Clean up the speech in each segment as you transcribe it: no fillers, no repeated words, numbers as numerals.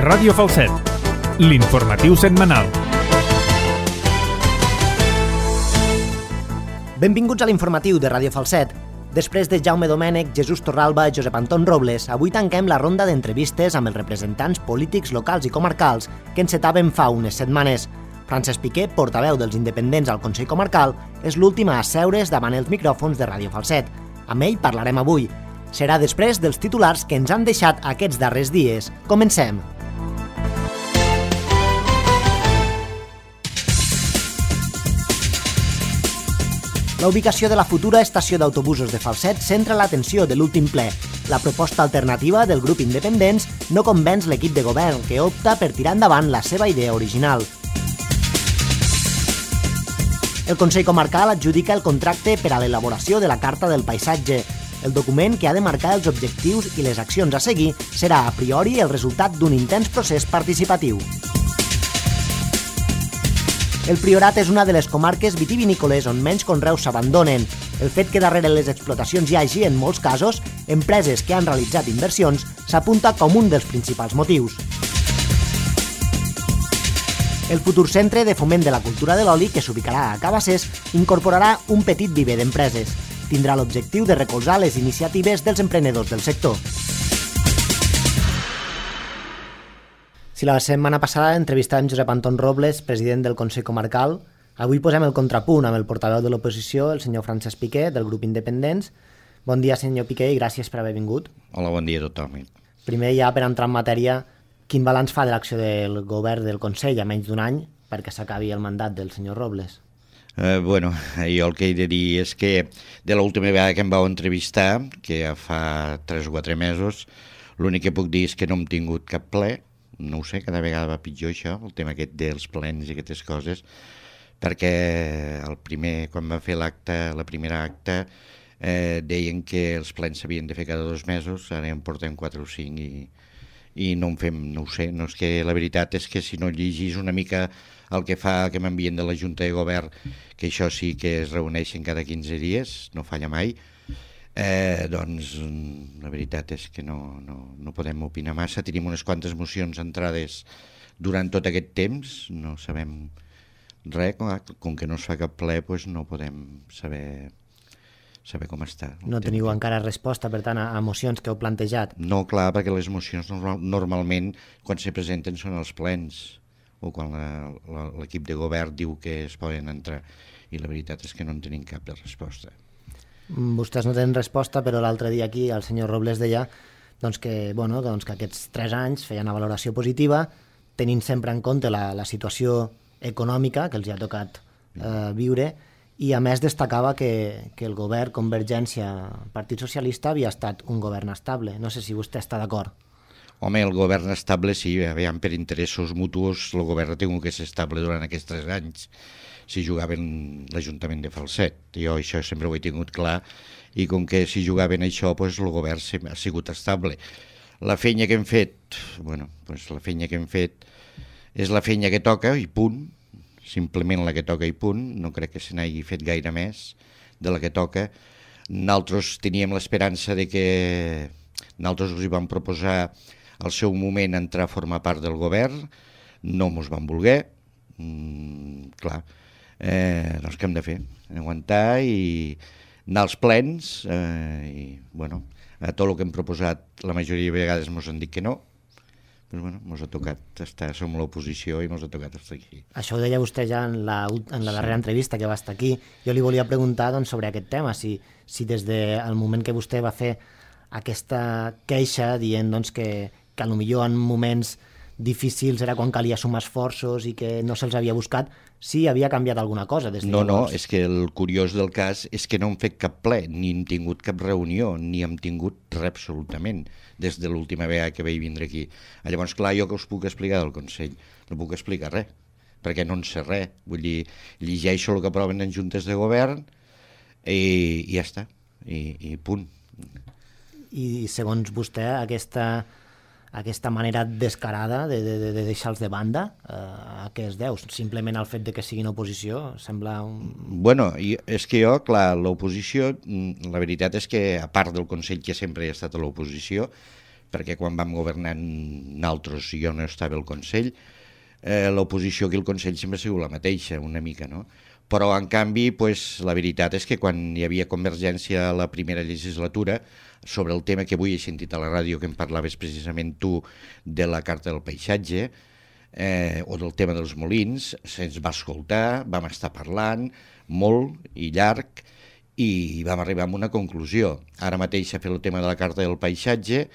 Ràdio Falset, l'informatiu setmanal. Benvinguts a l'informatiu de Ràdio Falset. Després de Jaume Domènech, Jesús Torralba i Josep Anton Robles, avui tanquem la ronda d'entrevistes amb els representants polítics locals i comarcals que encetàvem fa unes setmanes. Francesc Piqué, portaveu dels independents al Consell Comarcal, és l'últim a asseure's davant els micròfons de Ràdio Falset. Amb ell parlarem avui. Serà després dels titulars que ens han deixat aquests darrers dies. Comencem! La ubicació de la futura estació d'autobusos de Falset centra l'atenció de l'últim ple. La proposta alternativa del grup Independents no convenç l'equip de govern, que opta per tirar endavant la seva idea original. El Consell Comarcal adjudica el contracte per a l'elaboració de la Carta del Paisatge. El document que ha de marcar els objectius i les accions a seguir serà a priori el resultat d'un intens procés participatiu. El Priorat és una de les comarques vitivinícoles on menys conreus s'abandonen. El fet que darrere les explotacions hi hagi, en molts casos, empreses que han realitzat inversions s'apunta com un dels principals motius. El futur centre de foment de la cultura de l'oli, que s'ubicarà a Cabassers, incorporarà un petit viver d'empreses. Tindrà l'objectiu de recolzar les iniciatives dels emprenedors del sector. Si la setmana passada entrevistàvem Josep Anton Robles, president del Consell Comarcal, avui posem el contrapunt amb el portaveu de l'oposició, el senyor Francesc Piqué, del grup Independents. Bon dia, senyor Piqué, i gràcies per haver vingut. Hola, bon dia a tothom. Primer, ja per entrar en matèria, quin balanç fa de l'acció del govern del Consell a menys d'un any perquè s'acabi el mandat del senyor Robles? Jo el que he de dir és que de l'última vegada que em vau entrevistar, que ja fa 3 o 4 mesos, l'únic que puc dir és que no hem tingut cap ple. No ho sé, cada vegada va pitjor això, el tema aquest dels plens i aquestes coses, perquè quan va fer la primera acta, deien que els plens s'havien de fer cada 2 mesos, ara en portem 4 o 5 i no en fem, no ho sé, no és que la veritat és que si no llegís una mica el que fa que m'envien de la Junta de Govern, que això sí que es reuneixen cada 15 dies, no falla mai, doncs la veritat és que no podem opinar massa. Tenim unes quantes mocions entrades durant tot aquest temps, no sabem res, com que no es fa cap ple, doncs no podem saber com està. No teniu encara resposta, per tant, a mocions que heu plantejat? No, clar, perquè les mocions normalment quan se presenten són els plens o quan l'equip de govern diu que es poden entrar, i la veritat és que no en tenim cap de resposta. Vostès no tenen resposta, però l'altre dia aquí el senyor Robles deia que aquests 3 anys feien una valoració positiva, tenint sempre en compte la situació econòmica que els hi ha tocat viure, i a més destacava que el govern Convergència-Partit Socialista havia estat un govern estable. No sé si vostè està d'acord. Home, el govern estable sí, per interessos mutus el govern ha tingut que ser estable durant aquests 3 anys si jugaven l'Ajuntament de Falset. Jo això sempre ho he tingut clar, i com que si jugaven això, doncs el govern ha sigut estable. La feina que hem fet, la feina que hem fet és la feina que toca i punt, simplement la que toca i punt, no crec que se n'hagi fet gaire més de la que toca. Nosaltres teníem l'esperança de que nosaltres us hi vam proposar al seu moment entrar a formar part del govern, no mos van voler, doncs què hem de fer? Aguantar i anar als plens, a tot el que hem proposat la majoria de vegades mos han dit que no, però mos ha tocat estar, som l'oposició i mos ha tocat estar aquí. Això ho deia vostè ja en la darrera entrevista que va estar aquí. Jo li volia preguntar sobre aquest tema, si des del moment que vostè va fer aquesta queixa dient que potser en moments difícils era quan calia sumar esforços i que no se'ls havia buscat, si havia canviat alguna cosa des de llavors. No, és que el curiós del cas és que no hem fet cap ple, ni hem tingut cap reunió, ni hem tingut res absolutament des de l'última vegada que vaig vindre aquí. Llavors, clar, jo que us puc explicar del Consell? No puc explicar res, perquè no en sé res. Vull dir, llegeixo el que aproven en juntes de govern i ja està, i punt. I segons vostè, aquesta manera descarada de deixar-los de banda, a què es deu? Simplement al fet de que siguin oposició? Sembla un... És que jo, clar, l'oposició, la veritat és que, a part del Consell que sempre he estat a l'oposició, perquè quan vam governar nosaltres i jo no estava al Consell, l'oposició aquí al Consell sempre ha sigut la mateixa, una mica, no? Però, en canvi, pues, la veritat és que quan hi havia Convergència a la primera legislatura, sobre el tema que avui he sentit a la ràdio, que em parlaves precisament tu de la Carta del Paisatge, o del tema dels molins, se'ns va escoltar, vam estar parlant molt i llarg, i vam arribar a una conclusió. Ara mateix s'ha fet el tema de la Carta del Paisatge,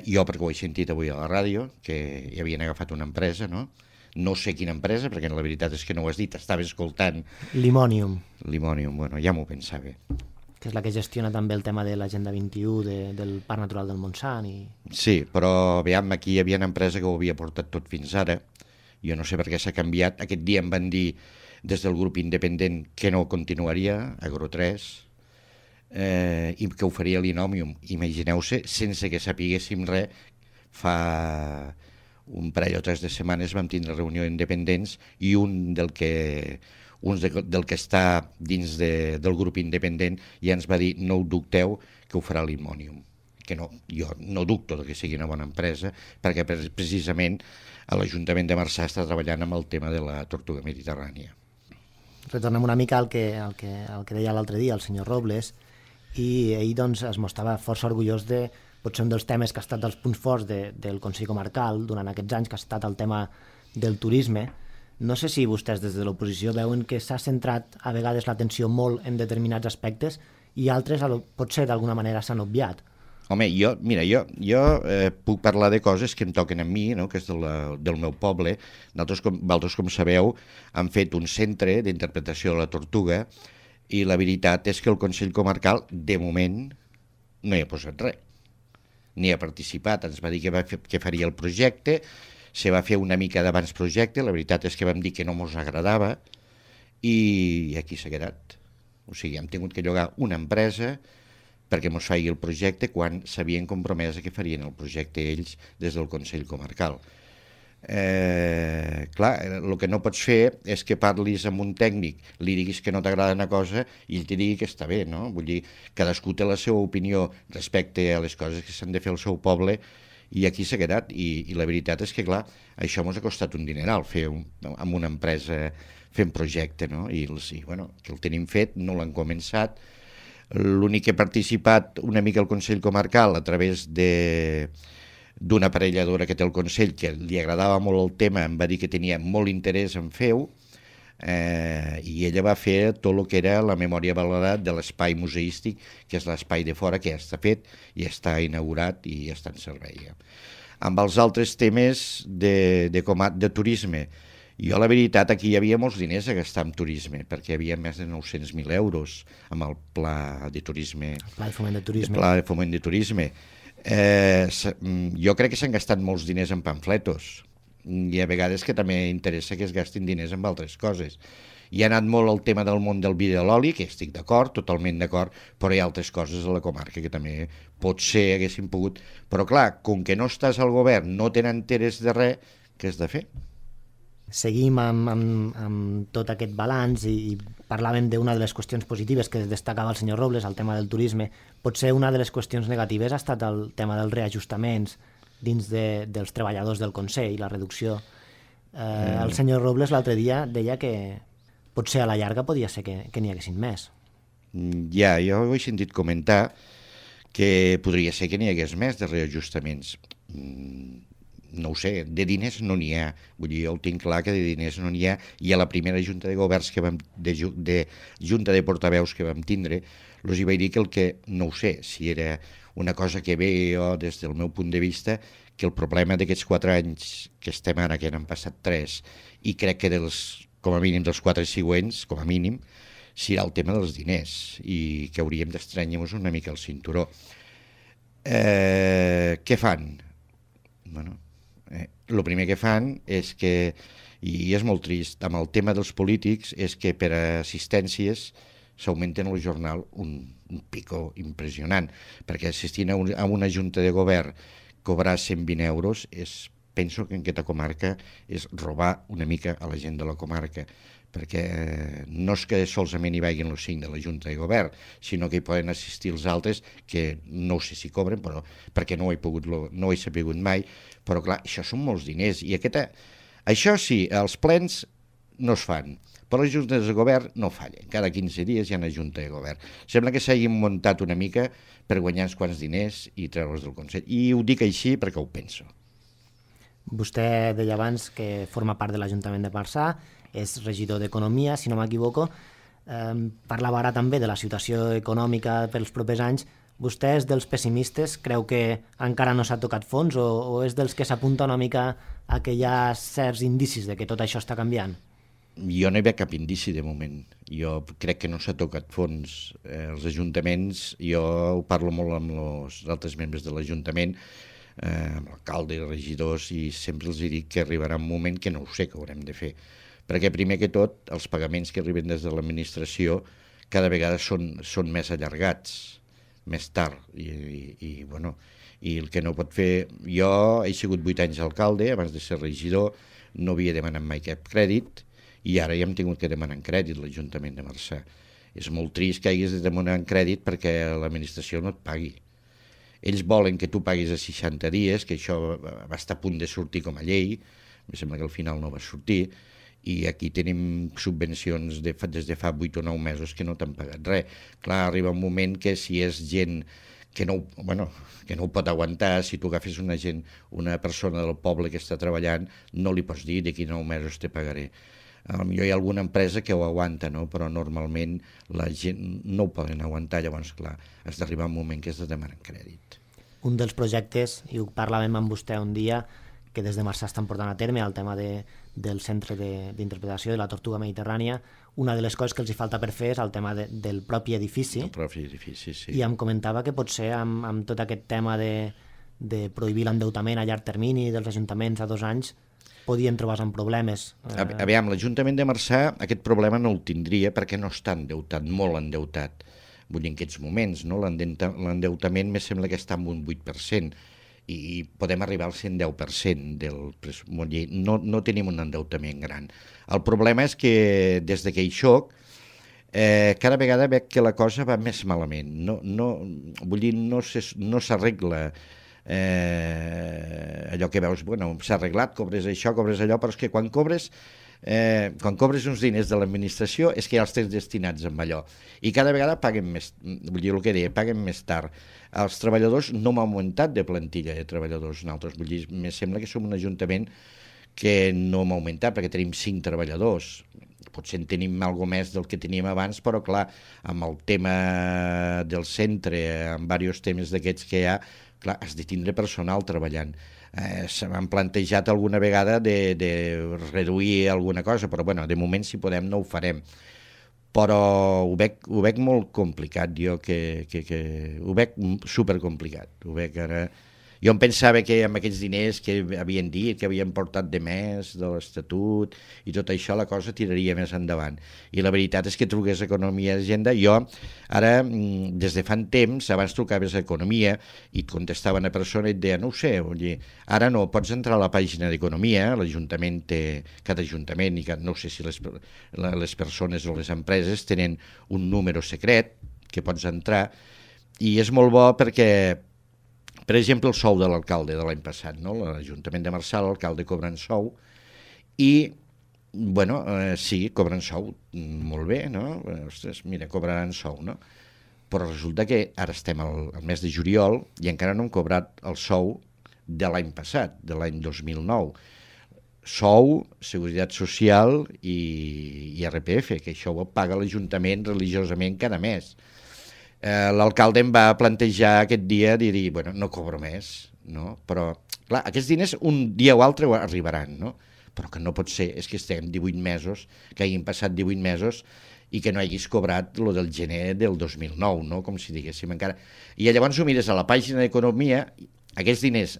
jo perquè ho he sentit avui a la ràdio, que hi havien agafat una empresa, no? No sé quina empresa, perquè la veritat és que no ho has dit, estava escoltant... Limonium. Limonium, bueno, ja m'ho pensava. Que és la que gestiona també el tema de l'Agenda 21, del Parc Natural del Montsant. Sí, però veiem, aquí hi havia una empresa que ho havia portat tot fins ara. Jo no sé per què s'ha canviat. Aquest dia em van dir des del grup independent que no continuaria, Agro 3, i que ho faria l'Inomium. Imagineu-se, sense que sapiguéssim res, fa un parell o 3 de setmanes vam tindre reunió independents i un del que està dins del grup independent ja ens va dir no ho dubteu que ho farà l'Immonium, que no, jo no dubto que sigui una bona empresa perquè precisament a l'Ajuntament de Marçà està treballant amb el tema de la tortuga mediterrània. Retornem una mica al que deia l'altre dia el senyor Robles, i ell doncs es mostrava força orgullós de potser un dels temes que ha estat dels punts forts del Consell Comarcal durant aquests anys, que ha estat el tema del turisme. No sé si vostès des de l'oposició veuen que s'ha centrat a vegades l'atenció molt en determinats aspectes i altres potser d'alguna manera s'han obviat. Home, jo puc parlar de coses que em toquen a mi, no? Que és del meu poble. Vosaltres, com sabeu, han fet un centre d'interpretació de la tortuga i la veritat és que el Consell Comarcal, de moment, no hi ha posat res. Ni ha participat, ens va dir que faria el projecte, se va fer una mica d'abans projecte, la veritat és que vam dir que no ens agradava i aquí s'ha quedat. O sigui, hem tingut que llogar una empresa perquè ens faci el projecte quan s'havien compromès que farien el projecte ells des del Consell Comarcal. Clar, el que no pots fer és que parlis amb un tècnic, li diguis que no t'agrada una cosa i ell t'hi digui que està bé, no? Vull dir, cadascú té la seva opinió respecte a les coses que s'han de fer al seu poble i aquí s'ha quedat. I la veritat és que, clar, això ens ha costat un dineral fer amb una empresa fent projecte, no? I bueno, que el tenim fet, no l'han començat. L'únic que ha participat una mica al Consell Comarcal a través d'una aparelladora que té el Consell, que li agradava molt el tema, em va dir que tenia molt interès en fer-ho, i ella va fer tot el que era la memòria valorada de l'espai museístic, que és l'espai de fora, que ja està fet i està inaugurat i ja està en servei. Amb els altres temes de turisme, jo la veritat aquí hi havia molts diners a gastar en turisme, perquè hi havia més de 900.000 euros amb el pla de turisme. El pla de foment de turisme. El pla de foment de turisme. Jo crec que s'han gastat molts diners en pamfletos i a vegades que també interessa que es gastin diners en altres coses. Hi ha anat molt el tema del món del vi de l'oli, que estic d'acord, totalment d'acord, però hi ha altres coses a la comarca que també potser haguessin pogut. Però clar, com que no estàs al govern, no tenen interès de res, què has de fer? Seguim amb tot aquest balanç i parlàvem d'una de les qüestions positives que destacava el senyor Robles, el tema del turisme. Potser una de les qüestions negatives ha estat el tema dels reajustaments dins dels treballadors del Consell, la reducció. El senyor Robles l'altre dia deia que potser a la llarga podia ser que n'hi haguessin més. Ja, jo ho he sentit comentar que podria ser que n'hi hagués més de reajustaments. No ho sé, de diners no n'hi ha. Vull dir, jo ho tinc clar que de diners no n'hi ha, i a la primera junta de governs de junta de portaveus que vam tindre, els hi vaig dir que el que, no ho sé, si era una cosa que ve jo des del meu punt de vista, que el problema d'aquests 4 anys que estem ara, que n'han passat 3, i crec que com a mínim dels 4 següents, com a mínim, serà el tema dels diners, i que hauríem d'estranyar-nos una mica el cinturó. Què fan? Bueno, el primer que fan és que, i és molt trist, amb el tema dels polítics, és que per assistències s'augmenten al jornal un pico impressionant, perquè assistint a una junta de govern cobrar 120 euros és penso que en aquesta comarca és robar una mica a la gent de la comarca, perquè no és que solament hi vagin els 5 de la Junta de Govern, sinó que hi poden assistir els altres, que no sé si cobren, però perquè no ho he sabut mai, però clar, això són molts diners, i això sí, els plens no es fan, però les juntes de govern no fallen, cada 15 dies hi ha una junta de govern. Sembla que s'hagin muntat una mica per guanyar uns quants diners i treure'ls del Consell, i ho dic així perquè ho penso. Vostè deia abans que forma part de l'Ajuntament de Marçà, és regidor d'Economia, si no m'equivoco. Parlava ara també de la situació econòmica pels propers anys. Vostè és dels pessimistes? Creu que encara no s'ha tocat fons o és dels que s'apunta una mica a que hi ha certs indicis de que tot això està canviant? Jo no hi veig cap indici de moment. Jo crec que no s'ha tocat fons. Els ajuntaments, jo ho parlo molt amb els altres membres de l'Ajuntament, amb l'alcalde i regidors, i sempre els dic que arribarà un moment que no ho sé, que haurem de fer. Perquè primer que tot, els pagaments que arriben des de l'administració cada vegada són més allargats, més tard, i el que no pot fer... Jo he sigut 8 anys alcalde, abans de ser regidor, no havia demanat mai cap crèdit, i ara ja hem tingut que demanar crèdit l'Ajuntament de Marçà. És molt trist que haguis de demanar crèdit perquè l'administració no et pagui. Ells volen que tu paguis a 60 dies, que això va estar a punt de sortir com a llei, em sembla que al final no va sortir, i aquí tenim subvencions des de fa 8 o 9 mesos que no t'han pagat res. Clar, arriba un moment que si és gent que no ho pot aguantar, si tu agafes una persona del poble que està treballant, no li pots dir d'aquí 9 mesos te pagaré. Potser hi ha alguna empresa que ho aguanta, no? Però normalment la gent no ho poden aguantar, llavors clar, has d'arribar un moment que has de demanar crèdit. Un dels projectes, i ho parlàvem amb vostè un dia, que des de Marçà estan portant a terme, el tema del centre d'interpretació de la tortuga mediterrània, una de les coses que els hi falta per fer és el tema del propi edifici. El propi edifici, sí. I em comentava que potser amb tot aquest tema de prohibir l'endeutament a llarg termini dels ajuntaments a 2 anys podien trobar-se amb problemes. Aviam, l'Ajuntament de Marçà aquest problema no el tindria perquè no està endeutat, molt endeutat. Vull dir, en aquests moments, no? L'endeutament me sembla que està en un 8%, i podem arribar al 110% del pressupost. No tenim un endeutament gran. El problema és que des que hi soc, cada vegada veig que la cosa va més malament. Vull dir, no s'arregla allò que veus, s'ha arreglat, cobres això, cobres allò, però és que quan cobres uns diners de l'administració és que ja els tens destinats amb allò, i cada vegada paguen més, vull dir el que deia, paguen més tard. Els treballadors no hem augmentat de plantilla de treballadors nosaltres, vull dir, me sembla que som un ajuntament que no hem augmentat perquè tenim 5 treballadors, potser en tenim alguna més del que teníem abans, però clar, amb el tema del centre, amb diversos temes d'aquests que hi ha, clar, has de tindre personal treballant. Se m'han plantejat alguna vegada de reduir alguna cosa, però de moment si podem no ho farem. Però ho veig molt complicat, jo que ho veig supercomplicat. Ho veig ara... Jo em pensava que amb aquests diners que havien dit, que havien portat de més de l'Estatut i tot això, la cosa tiraria més endavant. I la veritat és que truqués a Economia i Hisenda. Jo ara, des de fa temps, abans trucaves a Economia i et contestava una persona i et deia, no ho sé, ara no, pots entrar a la pàgina d'Economia, l'Ajuntament té, cada Ajuntament, i no sé si les persones o les empreses tenen un número secret que pots entrar, i és molt bo perquè... Per exemple, el sou de l'alcalde de l'any passat, no? L'Ajuntament de Marçà, l'alcalde cobren sou i, sí, cobren sou, molt bé, no? Ostres, mira, cobraran sou, no? Però resulta que ara estem al mes de juliol i encara no hem cobrat el sou de l'any passat, de l'any 2009. Sou, Seguretat Social i IRPF, que això ho paga l'Ajuntament religiosament cada mes. L'alcalde em va plantejar aquest dia dir, no cobro més, no? Però, clar, aquests diners un dia o altre arribaran, no? Però que no pot ser, és que estem 18 mesos, que hagin passat 18 mesos i que no hagis cobrat lo del gener del 2009, no? Com si diguéssim encara. I llavors ho mires a la pàgina d'Economia, aquests diners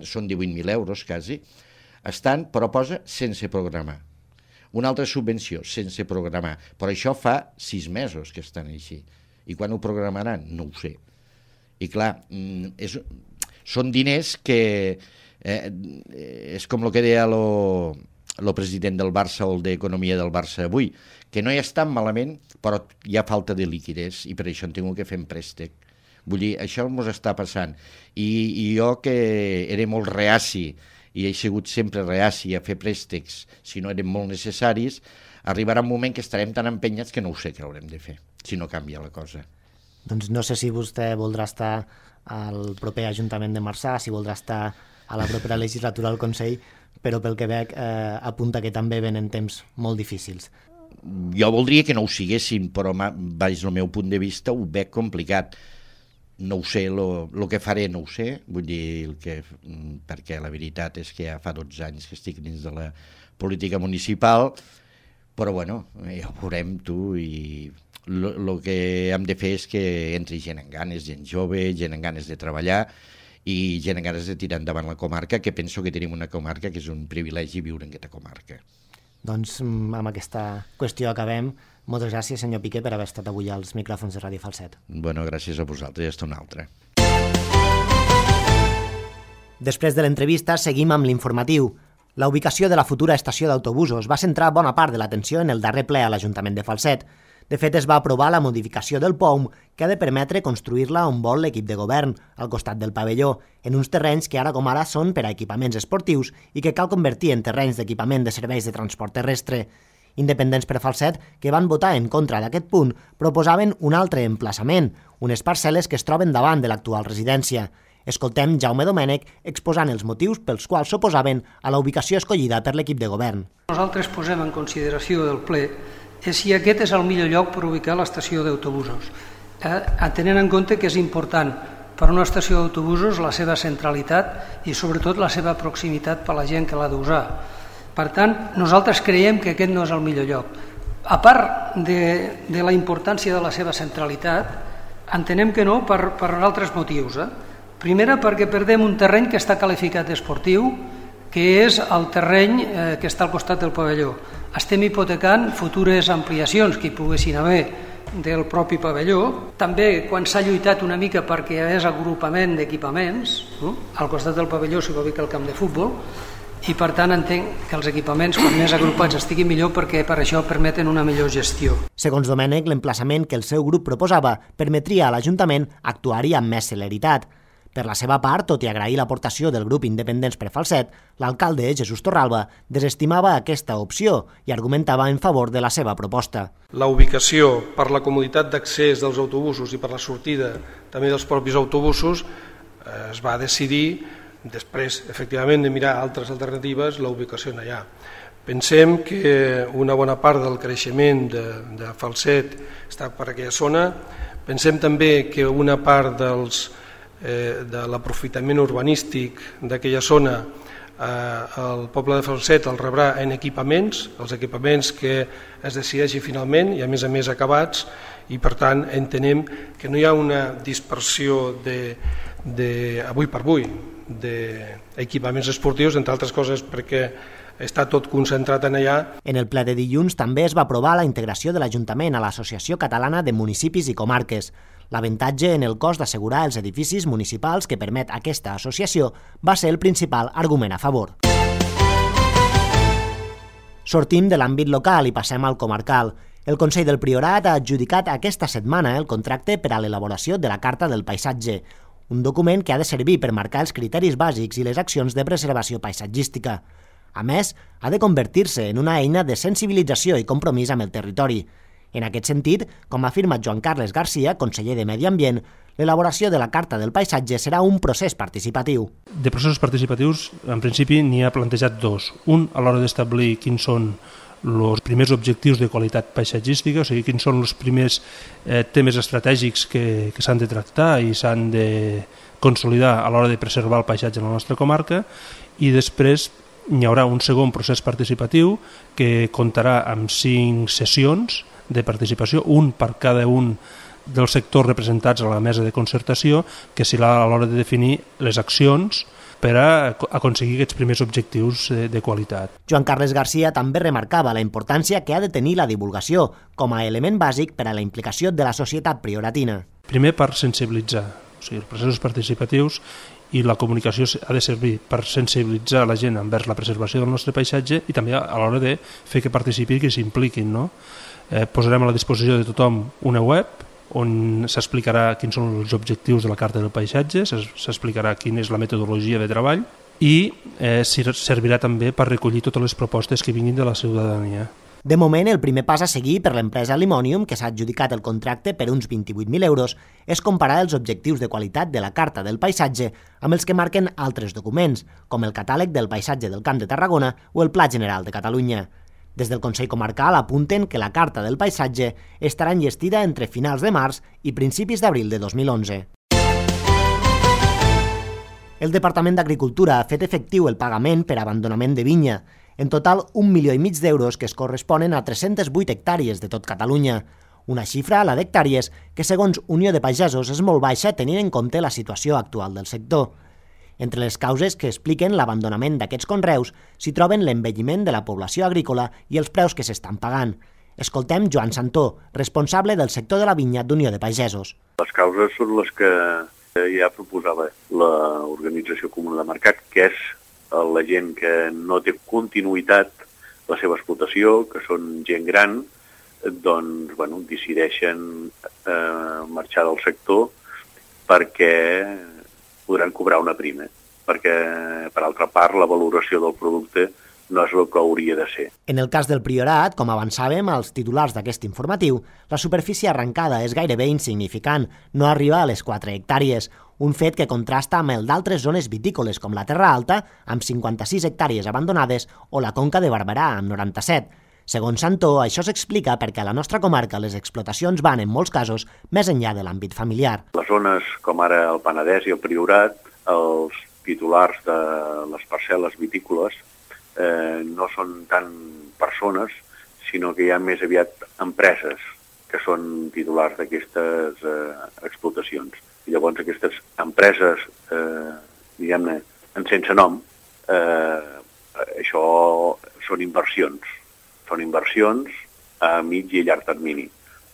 són 18.000 euros quasi, estan, però posa sense programar. Una altra subvenció, sense programar, però això fa 6 mesos que estan així. I quan ho programaran? No ho sé. I clar, són diners que És com el que deia el president del Barça o el d'Economia del Barça avui, que no hi està malament, però hi ha falta de liquiditat i per això hem tingut que fer un préstec. Vull dir, això ens està passant. I jo, que era molt reaci, i he sigut sempre reaci a fer préstecs si no eren molt necessaris, arribarà un moment que estarem tan empenyats que no ho sé què haurem de fer, si no canvia la cosa. Doncs no sé si vostè voldrà estar al proper Ajuntament de Marçà, si voldrà estar a la propera legislatura al Consell, però pel que veig apunta que també venen temps molt difícils. Jo voldria que no ho siguessin, però baix el meu punt de vista ho veig complicat. No ho sé, el que faré no ho sé, vull dir, perquè la veritat és que ja fa 12 anys que estic dins de la política municipal, però bueno, ja ho veurem tu, i el que hem de fer és que entri gent amb ganes, gent jove, gent amb ganes de treballar i gent amb ganes de tirar endavant la comarca, que penso que tenim una comarca que és un privilegi viure en aquesta comarca. Doncs amb aquesta qüestió acabem. Moltes gràcies, senyor Piqué, per haver estat avui als micròfons de Ràdio Falset. Bueno, gràcies a vosaltres, ja està una altra. Després de l'entrevista, seguim amb l'informatiu. La ubicació de la futura estació d'autobusos va centrar bona part de l'atenció en el darrer ple a l'Ajuntament de Falset. De fet, es va aprovar la modificació del POUM, que ha de permetre construir-la on vol l'equip de govern, al costat del pavelló, en uns terrenys que ara com ara són per a equipaments esportius i que cal convertir en terrenys d'equipament de serveis de transport terrestre. Independents per Falset, que van votar en contra d'aquest punt, proposaven un altre emplaçament, unes parcel·les que es troben davant de l'actual residència. Escoltem Jaume Domènech exposant els motius pels quals s'oposaven a la ubicació escollida per l'equip de govern. Nosaltres posem en consideració del ple si aquest és el millor lloc per ubicar l'estació d'autobusos, tenint en compte que és important per a una estació d'autobusos la seva centralitat i sobretot la seva proximitat per a la gent que l'ha d'usar. Per tant, nosaltres creiem que aquest no és el millor lloc. A part de la importància de la seva centralitat, entenem que no per altres motius. Primera, perquè perdem un terreny que està qualificat esportiu, que és el terreny que està al costat del pavelló. Estem hipotecant futures ampliacions que hi poguessin haver del propi pavelló. També quan s'ha lluitat una mica perquè hi hagués agrupament d'equipaments, al costat del pavelló s'hi va ubicar el camp de futbol, i per tant entenc que els equipaments quan més agrupats estiguin millor perquè per això permeten una millor gestió. Segons Domènech, l'emplaçament que el seu grup proposava permetria a l'Ajuntament actuar-hi amb més celeritat. Per la seva part, tot i agrair l'aportació del grup Independents per Falset, l'alcalde Jesús Torralba desestimava aquesta opció i argumentava en favor de la seva proposta. La ubicació per la comoditat d'accés dels autobusos i per la sortida també dels propis autobusos es va decidir, després efectivament de mirar altres alternatives, la ubicació allà. Pensem que una bona part del creixement de Falset està per aquella zona. Pensem també que una part de l'aprofitament urbanístic d'aquella zona el poble de Falset el rebrà en equipaments, els equipaments que es decideixi finalment i a més acabats, i per tant entenem que no hi ha una dispersió avui per avui d'equipaments esportius, entre altres coses perquè està tot concentrat en allà. En el ple de dilluns també es va aprovar la integració de l'Ajuntament a l'Associació Catalana de Municipis i Comarques. L'avantatge en el cost d'assegurar els edificis municipals que permet aquesta associació va ser el principal argument a favor. Sortim de l'àmbit local i passem al comarcal. El Consell del Priorat ha adjudicat aquesta setmana el contracte per a l'elaboració de la Carta del Paisatge, un document que ha de servir per marcar els criteris bàsics i les accions de preservació paisatgística. A més, ha de convertir-se en una eina de sensibilització i compromís amb el territori. En aquest sentit, com ha afirmat Joan Carles Garcia, conseller de Medi Ambient, l'elaboració de la Carta del Paisatge serà un procés participatiu. De processos participatius, en principi, n'hi ha plantejat dos. Un, a l'hora d'establir quins són els primers objectius de qualitat paisatgística, o sigui, quins són els primers temes estratègics que s'han de tractar i s'han de consolidar a l'hora de preservar el paisatge en la nostra comarca, i després hi haurà un segon procés participatiu que comptarà amb 5 sessions de participació, un per cada un dels sectors representats a la mesa de concertació, que serà a l'hora de definir les accions per a aconseguir aquests primers objectius de qualitat. Joan Carles Garcia també remarcava la importància que ha de tenir la divulgació com a element bàsic per a la implicació de la societat prioratina. Primer per sensibilitzar, o sigui, els processos participatius i la comunicació ha de servir per sensibilitzar la gent envers la preservació del nostre paisatge i també a l'hora de fer que participin i que s'impliquin, no? Posarem a la disposició de tothom una web on s'explicarà quins són els objectius de la Carta del Paisatge, s'explicarà quina és la metodologia de treball i servirà també per recollir totes les propostes que vinguin de la ciutadania. De moment, el primer pas a seguir per l'empresa Limonium, que s'ha adjudicat el contracte per uns 28.000 euros, és comparar els objectius de qualitat de la Carta del Paisatge amb els que marquen altres documents, com el Catàleg del Paisatge del Camp de Tarragona o el Pla General de Catalunya. Des del Consell Comarcal apunten que la Carta del Paisatge estarà enllestida entre finals de març i principis d'abril de 2011. El Departament d'Agricultura ha fet efectiu el pagament per abandonament de vinya, en total 1,5 milió d'euros que es corresponen a 308 hectàrees de tot Catalunya, una xifra, la d'hectàrees, que segons Unió de Pagesos és molt baixa tenint en compte la situació actual del sector. Entre les causes que expliquen l'abandonament d'aquests conreus s'hi troben l'envelliment de la població agrícola i els preus que s'estan pagant. Escoltem Joan Santó, responsable del sector de la vinya d'Unió de Pagesos. Les causes són les que ja proposava l'Organització Comuna de Mercat, que és la gent que no té continuïtat la seva explotació, que són gent gran, doncs decideixen marxar del sector perquè podran cobrar una prima, perquè, per altra part, la valoració del producte no és el que hauria de ser. En el cas del Priorat, com avançàvem als titulars d'aquest informatiu, la superfície arrencada és gairebé insignificant, no arriba a les 4 hectàrees, un fet que contrasta amb el d'altres zones vitícoles com la Terra Alta, amb 56 hectàrees abandonades, o la Conca de Barberà, amb 97. Segons Santó, això s'explica perquè a la nostra comarca les explotacions van, en molts casos, més enllà de l'àmbit familiar. Les zones com ara el Penedès i el Priorat, els titulars de les parcel·les vitícoles no són tant persones, sinó que hi ha més aviat empreses que són titulars d'aquestes explotacions. I llavors aquestes empreses, diguem-ne, sense nom, això són inversions. Són inversions a mig i llarg termini,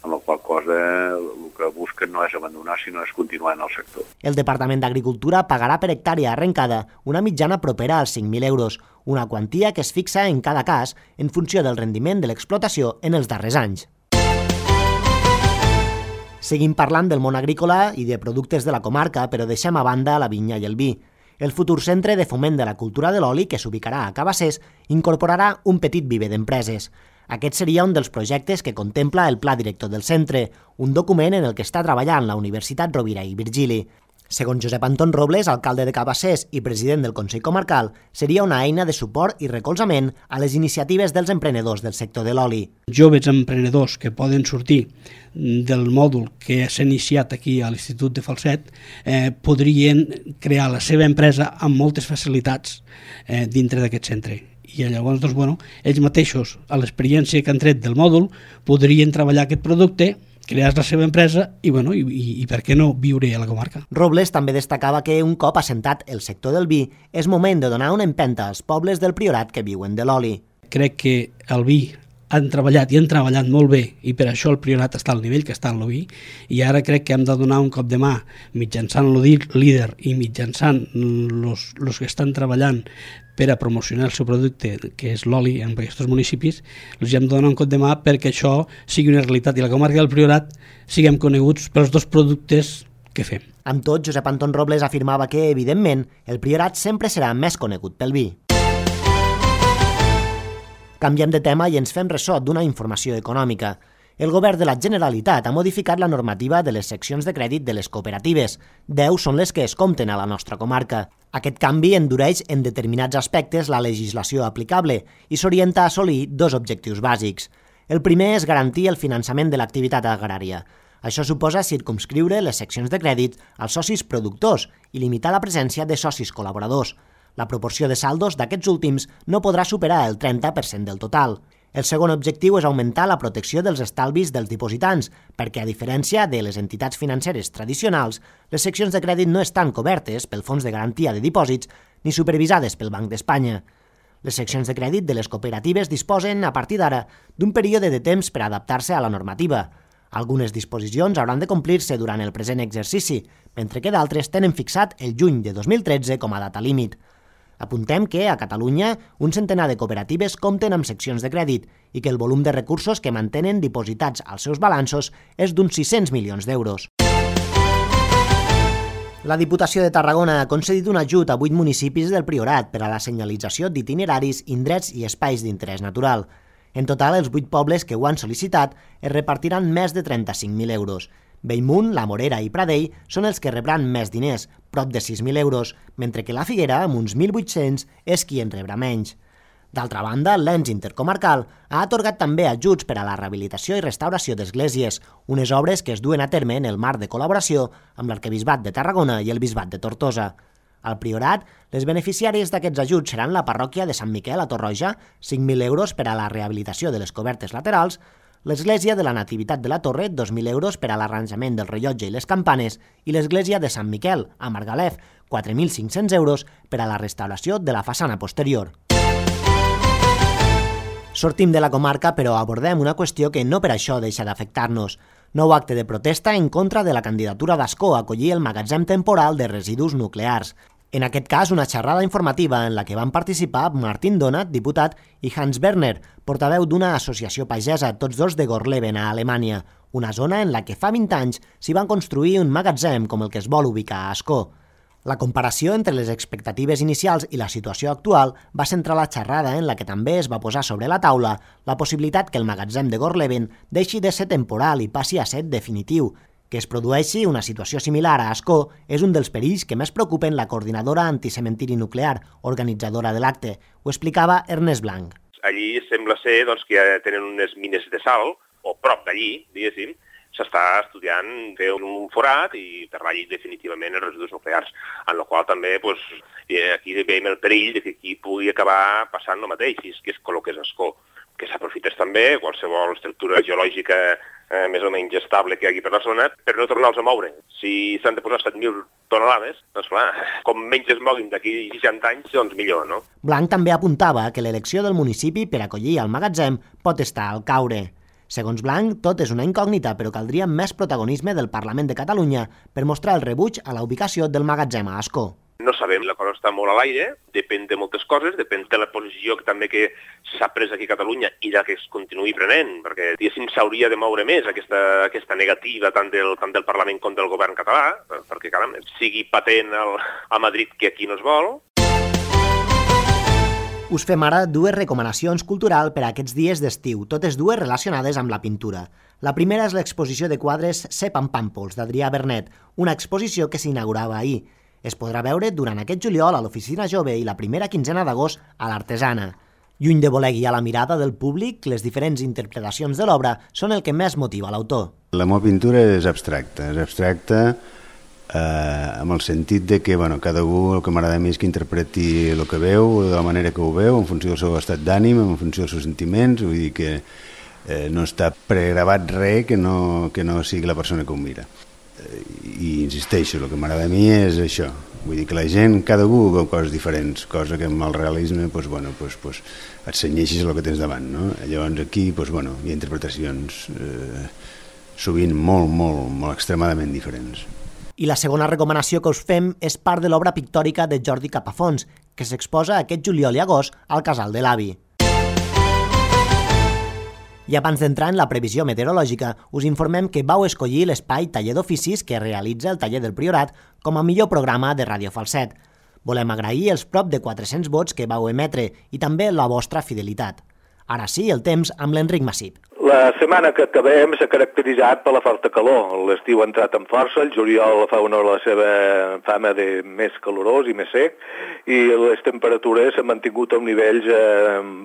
amb la qual cosa el que busquen no és abandonar, sinó és continuar en el sector. El Departament d'Agricultura pagarà per hectàrea arrencada una mitjana propera als 5.000 euros, una quantia que es fixa en cada cas en funció del rendiment de l'explotació en els darrers anys. Seguim parlant del món agrícola i de productes de la comarca, però deixem a banda la vinya i el vi. El futur centre de foment de la cultura de l'oli, que s'ubicarà a Cabassers, incorporarà un petit viver d'empreses. Aquest seria un dels projectes que contempla el Pla Director del centre, un document en el que està treballant la Universitat Rovira i Virgili. Segons Josep Anton Robles, alcalde de Cabassers i president del Consell Comarcal, seria una eina de suport i recolzament a les iniciatives dels emprenedors del sector de l'oli. Joves emprenedors que poden sortir del mòdul que s'ha iniciat aquí a l'Institut de Falset podrien crear la seva empresa amb moltes facilitats dintre d'aquest centre. I llavors, ells mateixos, a l'experiència que han tret del mòdul, podrien treballar aquest producte, crear la seva empresa i per què no viure a la comarca. Robles també destacava que un cop assentat el sector del vi és moment de donar una empenta als pobles del Priorat que viuen de l'oli. Crec que el vi han treballat i han treballat molt bé i per això el Priorat està al nivell que està en l'oví i ara crec que hem de donar un cop de mà mitjançant líder i mitjançant els que estan treballant per a promocionar el seu producte, que és l'oli en aquests municipis, els hem de donar un cop de mà perquè això sigui una realitat i la comarca del Priorat siguem coneguts pels dos productes que fem. Amb tot, Josep Anton Robles afirmava que, evidentment, el Priorat sempre serà més conegut pel vi. Canviem de tema i ens fem ressò d'una informació econòmica. El govern de la Generalitat ha modificat la normativa de les seccions de crèdit de les cooperatives. 10 són les que es compten a la nostra comarca. Aquest canvi endureix en determinats aspectes la legislació aplicable i s'orienta a assolir 2 objectius bàsics. El primer és garantir el finançament de l'activitat agrària. Això suposa circumscriure les seccions de crèdit als socis productors i limitar la presència de socis col·laboradors. La proporció de saldos d'aquests últims no podrà superar el 30% del total. El segon objectiu és augmentar la protecció dels estalvis dels dipositants, perquè, a diferència de les entitats financeres tradicionals, les seccions de crèdit no estan cobertes pel Fons de Garantia de Dipòsits ni supervisades pel Banc d'Espanya. Les seccions de crèdit de les cooperatives disposen, a partir d'ara, d'un període de temps per adaptar-se a la normativa. Algunes disposicions hauran de complir-se durant el present exercici, mentre que d'altres tenen fixat el juny de 2013 com a data límit. Apuntem que, a Catalunya, un centenar de cooperatives compten amb seccions de crèdit i que el volum de recursos que mantenen dipositats als seus balanços és d'uns 600 milions d'euros. La Diputació de Tarragona ha concedit un ajut a 8 municipis del Priorat per a la senyalització d'itineraris, indrets i espais d'interès natural. En total, els 8 pobles que ho han sol·licitat es repartiran més de 35.000 euros. Bellmunt, La Morera i Pradell són els que rebran més diners, prop de 6.000 euros, mentre que la Figuera, amb uns 1.800, és qui en rebrà menys. D'altra banda, l'ens intercomarcal ha atorgat també ajuts per a la rehabilitació i restauració d'esglésies, unes obres que es duen a terme en el marc de col·laboració amb l'Arquebisbat de Tarragona i el Bisbat de Tortosa. Al Priorat, les beneficiàries d'aquests ajuts seran la parròquia de Sant Miquel a Torroja, 5.000 euros per a la rehabilitació de les cobertes laterals, l'Església de la Nativitat de la Torre, 2.000 euros per a l'arranjament del rellotge i les campanes, i l'Església de Sant Miquel, a Margalef, 4.500 euros per a la restauració de la façana posterior. Sortim de la comarca, però abordem una qüestió que no per això deixa d'afectar-nos. Nou acte de protesta en contra de la candidatura d'Ascó a acollir el magatzem temporal de residus nuclears. En aquest cas, una xerrada informativa en la que van participar Martin Donat, diputat, i Hans Werner, portaveu d'una associació pagesa, tots dos de Gorleben, a Alemanya, una zona en la que fa 20 anys s'hi van construir un magatzem com el que es vol ubicar a Ascó. La comparació entre les expectatives inicials i la situació actual va centrar la xerrada en la que també es va posar sobre la taula la possibilitat que el magatzem de Gorleben deixi de ser temporal i passi a ser definitiu. Que es produeixi una situació similar a Ascó és un dels perills que més preocupen la coordinadora anticementiri nuclear, organitzadora de l'acte. Ho explicava Ernest Blanc. Allí sembla ser doncs, que ja tenen unes mines de sal, o prop d'allí, diguéssim, s'està estudiant fer un forat i enterrar allí definitivament els residus nuclears, en la qual també doncs, aquí veiem el perill de que aquí pugui acabar passant el mateix, si és que es col·loqués Ascó, que s'aprofités també qualsevol estructura geològica més o menys estable que hi hagi per la zona per no tornar-los a moure. Si s'han de posar 7.000 tonelades, doncs clar, com menys es moguin d'aquí 60 anys, doncs millor, no? Blanc també apuntava que l'elecció del municipi per acollir el magatzem pot estar al caure. Segons Blanc, tot és una incògnita, però caldria més protagonisme del Parlament de Catalunya per mostrar el rebuig a la ubicació del magatzem a Ascó. No sabem, la cosa està molt a l'aire, depèn de moltes coses, depèn de la posició que també que s'ha pres aquí a Catalunya i de que es continuï prenent, perquè diguéssim s'hauria de moure més aquesta negativa tant del Parlament com del govern català, perquè caram, sigui patent a Madrid que aquí no es vol. Us fem ara dues recomanacions culturals per a aquests dies d'estiu, totes dues relacionades amb la pintura. La primera és l'exposició de quadres Se Pampàmpols, d'Adrià Bernet, una exposició que s'inaugurava ahir. Es podrà veure durant aquest juliol a l'Oficina Jove i la primera quinzena d'agost a l'Artesana. Lluny de voler guiar la mirada del públic, les diferents interpretacions de l'obra són el que més motiva l'autor. La meva pintura és abstracta amb el sentit de que cadascú el que m'agrada a mi és que interpreti el que veu, de la manera que ho veu, en funció del seu estat d'ànim, en funció dels seus sentiments, vull dir que no està pregravat res que no sigui la persona que ho mira. I insisteixo, el que m'agrada a mi és això, vull dir que la gent, cadascú veu coses diferents, cosa que amb el realisme et cenyeixis el que tens davant, no? Llavors aquí hi ha interpretacions sovint molt extremadament diferents. I la segona recomanació que us fem és part de l'obra pictòrica de Jordi Capafons, que s'exposa aquest juliol i agost al Casal de l'Avi. I abans d'entrar en la previsió meteorològica, us informem que vau escollir l'espai Taller d'Oficis que realitza el Taller del Priorat com a millor programa de Ràdio Falset. Volem agrair els prop de 400 vots que vau emetre i també la vostra fidelitat. Ara sí, el temps amb l'Enric Massip. La setmana que acabem s'ha caracteritzat per la forta calor. L'estiu ha entrat amb força, el juliol fa honor a la seva fama de més calorós i més sec, i les temperatures s'han mantingut a nivells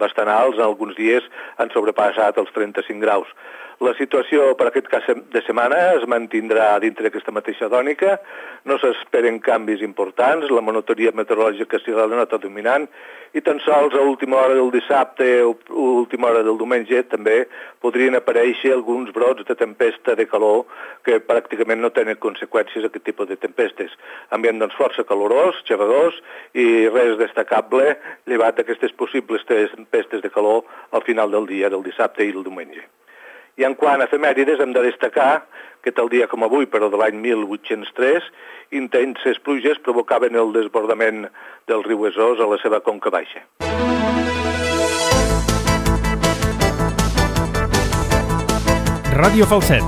bastant alts, en alguns dies han sobrepassat els 35 graus. La situació per aquest cas de setmana es mantindrà dintre d'aquesta mateixa tònica, no s'esperen canvis importants, la monotonia meteorològica serà la nota dominant i tan sols a última hora del dissabte o última hora del diumenge també podrien aparèixer alguns brots de tempesta de calor que pràcticament no tenen conseqüències aquest tipus de tempestes. Ambient doncs força calorós, xafagós i res destacable llevat d'aquestes possibles tempestes de calor al final del dia, del dissabte i el diumenge. I en quant a efemèrides hem de destacar que tal dia com avui, però de l'any 1803, intenses pluges provocaven el desbordament del riu Besòs a la seva conca baixa. Ràdio Falset,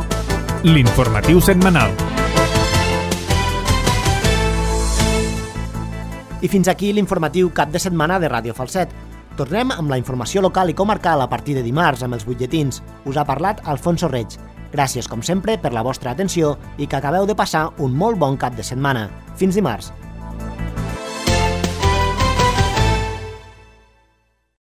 l'informatiu setmanal. I fins aquí l'informatiu cap de setmana de Ràdio Falset. Tornem amb la informació local i comarcal a partir de dimarts amb els butlletins. Us ha parlat Alfonso Reig. Gràcies, com sempre, per la vostra atenció i que acabeu de passar un molt bon cap de setmana. Fins dimarts.